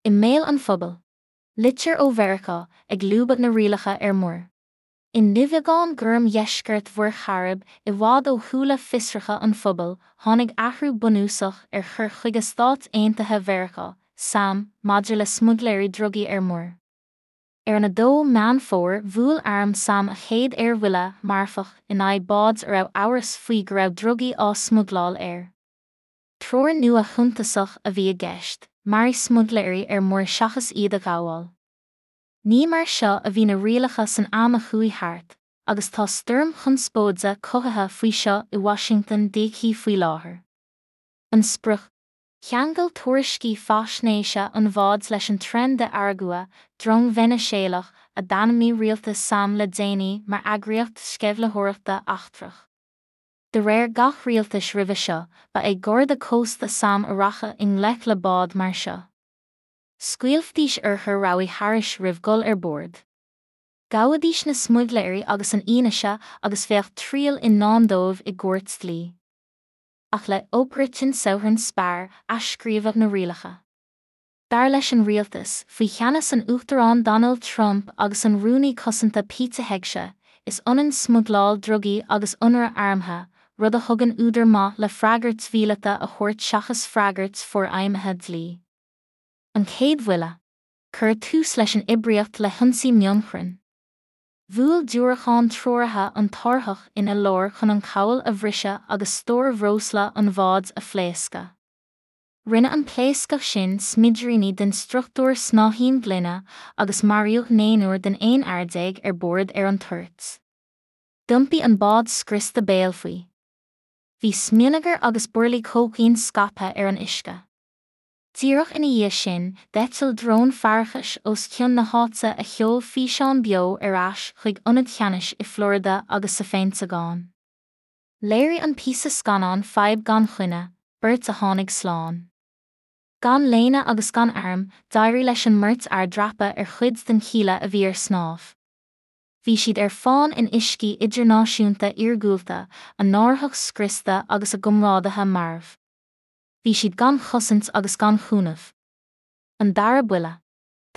I mbéal an phobail. Litir ó Mheiriceá ag lúbadh na rialacha ar muir. I nduibheagán gorm dheisceart Mhuir Chairib, i bhfad ó shúile fiosracha an phobail, tháinig athrú bunúsach ar chur chuige Stáit Aontaithe Mheiriceá, sam, maidir le smuigléirí drugaí ar muir. Ar an 2 Meán Fómhair bhuail arm sam a chéad aerbhuille marfach in aghaidh báid a raibh amhras faoi go raibh drugaí á smuigleáil air. Treoir nua shuntasach a bhí i gceist, maraigh smuigléirí ar muir seachas iad a ghabháil. Ní mar seo a bhí na rialacha san am a chuaigh thart, agus tá stoirm chonspóide cothaithe faoi seo i Washington DC faoi láthair. An sprioc? Cheangail tuairiscí faisnéise an bhád leis an Tren de Aragua, drong Veiniséalach a d'ainmnigh rialtas sam le déanaí mar eagraíocht sceimhlitheoireachta eachtrach. De réir gach rialtais roimhe seo, ba é Garda Cósta sam a rachadh i ngleic le bád mar seo. Scaoilfidís urchair rabhaidh thairis roimh dhul ar bord. Gabhaidís na smuigléirí agus an fhianaise agus bheadh triail i ndán dóibh i gcúirt dlí. Ach le Operation Southern Spar athscríobhadh na rialacha. Dar leis an rialtas, faoi cheannas an Uachtaráin Donald Trump agus an Rúnaí Cosanta Pete Hegseth, is ionann smuigleáil drugaí agus ionradh armtha, rud a thugann údar maith le freagairt mhíleata a thabhairt seachas freagairt forfheidhmithe dlí. An chéad bhuille. Cuireadh tús leis an oibríocht le hionsaí mionchrainn. Bhuail diúracán treoraithe an t-árthach ina lár chun an chabhail a bhriseadh agus stór bhreosla an bháid a phléascadh. Rinne an pléascadh sin smidiríní den struchtúr snáithín gloine agus maraíodh naonúr den 11 fhear ar bord ar an toirt. D'iompaigh an bád scriosta béal faoi. Bhí smionagar agus burlaí cócaoin scaipthe ar an uisce. Díreach ina dhiaidh sin, d'eitil drón faireachais os cionn na háite a sheol físeán beo ar ais chuig ionaid cheannais i Florida agus sa Pheinteagán. Léirigh an píosa scannáin fadhb gan choinne, beirt a tháinig slán. Gan léine agus gan airm, d'éirigh leis an mbeirt fhear dreapadh ar chuid den chíle a bhí ar snámh. Bhí siad ar fán in uiscí idirnáisiúnta iargúlta, a n-árthach scriosta agus a gcomrádaithe marbh. Bhí siad gan chosaint agus gan chúnamh. An dara buille.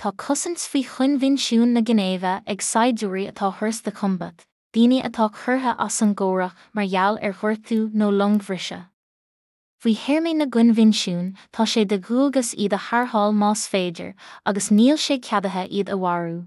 Tá cosaint faoi Choinbhinsiún na Ginéive ag saighdiúirí atá hors de combat, daoine atá curtha as an gcomhrac mar gheall ar ghortú nó longbhriseadh. Faoi théarmaí na gcoinbhinsiún, tá sé de dhualgas iad a tharrtháil más féidir, agus níl sé ceadaithe iad a mharú.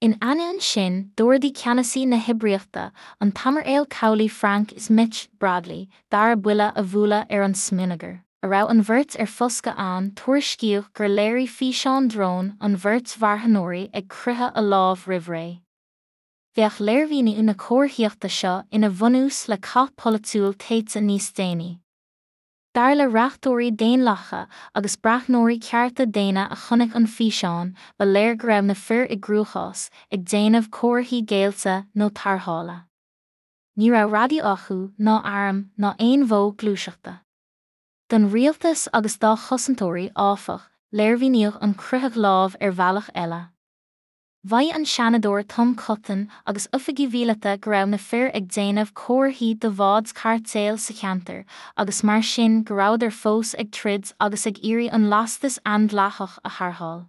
In ainneoin sin, d'ordaigh ceannasaí na hoibríochta, an tAimiréal Cabhlaigh Frank Smith Bradley, dara buille a bhualadh ar an smionagar a raibh an bheirt ar foscadh ann, tuairiscíodh gur léirigh físeán dróin an bheirt mharthanóirí ag croitheadh a lámh roimh ré. Bheadh léirmhíniú na comharthaíochta seo ina bhunús le cath polaitiúil téite níos déanaí. Dar le reachtóirí Daonlathacha agus breathnóirí cearta daonna a chonaic an físeán, ba léir go raibh na fir i gcruachás, ag déanamh comharthaí géillte nó tarrthála. Ní raibh raidió acu, ná airm, ná aon mhodh gluaiseachta. Don rialtas agus dá chosantóirí, áfach, léirmhíníodh an croitheadh lámh ar bhealach eile. Mhaígh an Seanadóir Tom Cotton agus oifigigh mhíleata go raibh na fir ag déanamh comharthaí do bháid chairtéil sa cheantar agus mar sin go rabhadar fós ag troid agus ag iarraidh an lastas aindleathach a tharrtháil.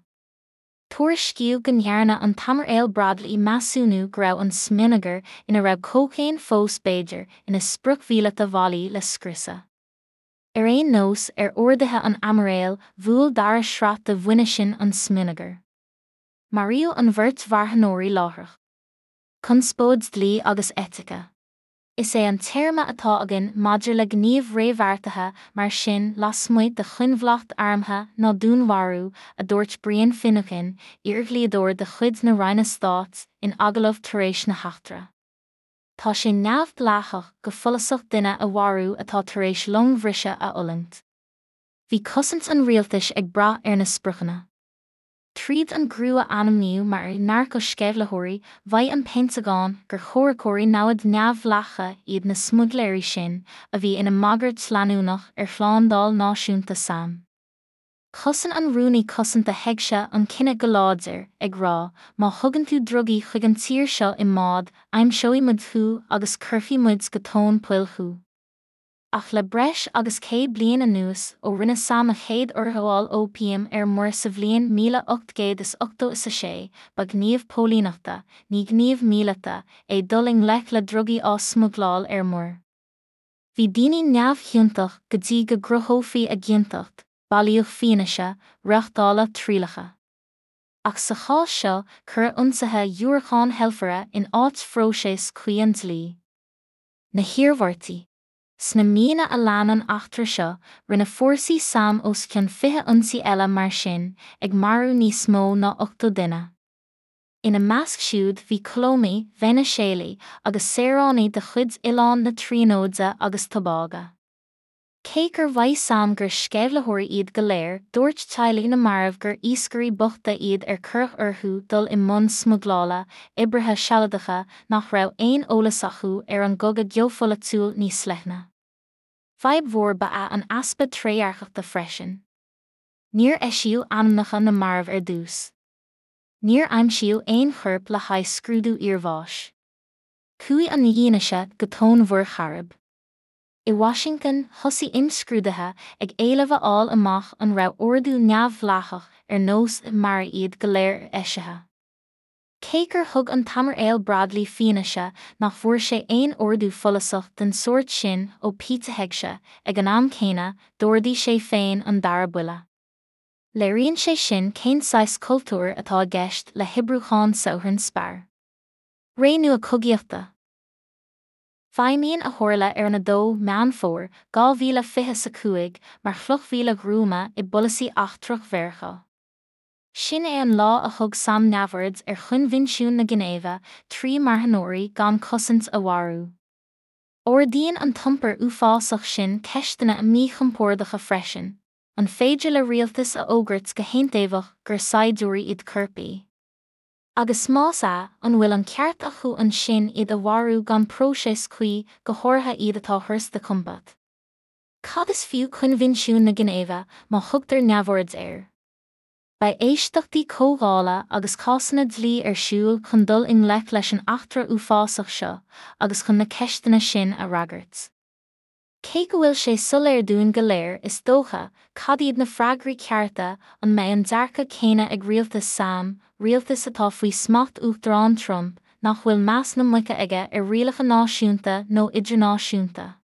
Tuairiscíodh go ndearna an tAimiréal Bradley measúnú go raibh an smionagar, ina raibh cócaon fós b'fhéidir, ina sprioc mhíleata bhailí le scriosadh. Ar aon nós, ar orduithe an Aimiréil, bhuail dara sraith de mhuinisin an smionagar. Maraíodh an bheirt mharthanóirí láithreach. Conspóid dlí agus eitice. Is é an téarma atá againn maidir le gníomh réamhbheartaithe mar sin lasmuigh de choinbhleacht armtha ná dúnmharú, a dúirt Brian Finucane, iardhlíodóir de chuid na Roinne Stáit, in agallamh tar éis na heachtra. Tá sé neamhdhleathach go follasach duine a mharú atá tar éis longbhriseadh a fhulaingt. Bhí cosaint an rialtais ag brath ar na spriocanna. Tríd an gcriú a ainmníodh mar narcasceimhlitheoirí, mhaígh an Peinteagán gur chomhraiceoirí namhad neamhdhleathacha iad na smuigléirí sin, a bhí ina mbagairt leanúnach ar shlándáil náisiúnta sam. Chosain an Rúnaí Cosanta Hegseth an cinneadh go láidir, ag rá, má thugann tú drugaí chuig an tír seo i mbád, aimseoidh muid thú agus cuirfidh muid go tóin poill thú. Ach le breis agus 100 bliain anuas, ó rinne sam a chéad urghabháil óipiam ar muir sa bhliain 1886, ba ghníomh póilíneachta, ní gníomh míleata, é dul i ngleic le drugaí á smuigleáil ar muir. Bhí daoine neamhchiontach go dtí go gcruthófaí a gciontacht, bailíodh fianaise, reáchtáladh trialacha. Ach sa chás seo, cuireadh ionsaithe diúracán heilfire in áit phróiseas cuí an dlí. Na hiarmhairtí. Sna míonna a lean an eachtra seo, rinne fórsaí sam os cionn 20 ionsaí eile mar sin, ag marú níos mó ná 80 duine. Ina measc siúd bhí Colómaigh, Veiniséalaigh agus saoránaigh de chuid Oileán na Tríonóide agus Tobága. Cé gur mhaígh sam gur sceimhlitheoirí iad go léir, dúirt teaghlaigh na marbh gur iascairí bochta iad ar cuireadh orthu dul i mbun smuigleála, oibrithe sealadacha nach raibh aon eolas acu ar an gcogadh geopholaitiúil níos leithne. Fadhb mhór ba ea an easpa trédhearcachta freisin. Níor eisíodh ainmneacha na marbh ar dtús. Níor aimsíodh aon chorp le haghaidh scrúdú iarbháis. Chuaigh an fhianaise go tóin Mhuir Chairib. I Washington, thosaigh imscrúduithe ag éileamh a fháil amach an raibh ordú neamhdhleathach ar nós 'maraigh iad go léir' eisithe. Cé gur thug an tAimiréal Bradley fianaise nach bhfuair sé aon ordú follasach den sórt sin ó Pete Hegseth, ag an am céanna, d'ordaigh sé féin an dara buille. Léiríonn sé sin cén saghas cultúir atá i gceist le hoibriúchán Southern Spar. Ré nua cogaíochta. Feidhmíonn a tharla ar an 2 Meán Fómhair 2025 mar chloch mhíle ghruama i bpolasaí eachtrach Mheiriceá. Sin é an lá a thug sam neamhaird ar Choinbhinsiún na Ginéive trí marthanóirí gan cosaint a mharú. Ardaíonn an t-iompar uafásach sin ceisteanna míchompordacha freisin, an féidir le rialtas a fhógairt go haontaobhach gur saighdiúirí iad coirpigh? Agus más ea, an bhfuil an ceart acu ansin iad a mharú gan próiseas cuí, go háirithe iad atá hors de combat? Cad is fiú Coinbhinsiún na Ginéive má thugtar neamhaird air? Beidh éisteachtaí comhdhála agus cásanna dlí ar siúl chun dul i ngleic leis an eachtra uafásach seo agus chun na ceisteanna sin a fhreagairt. Cé go bhfuil sé soiléir dúinn go léir, is dócha, cad iad na freagraí cearta, an mbeidh an dearcadh céanna ag rialtas sam, rialtas atá faoi smacht Uachtarán Trump, nach bhfuil meas na muice aige ar rialacha náisiúnta nó idirnáisiúnta?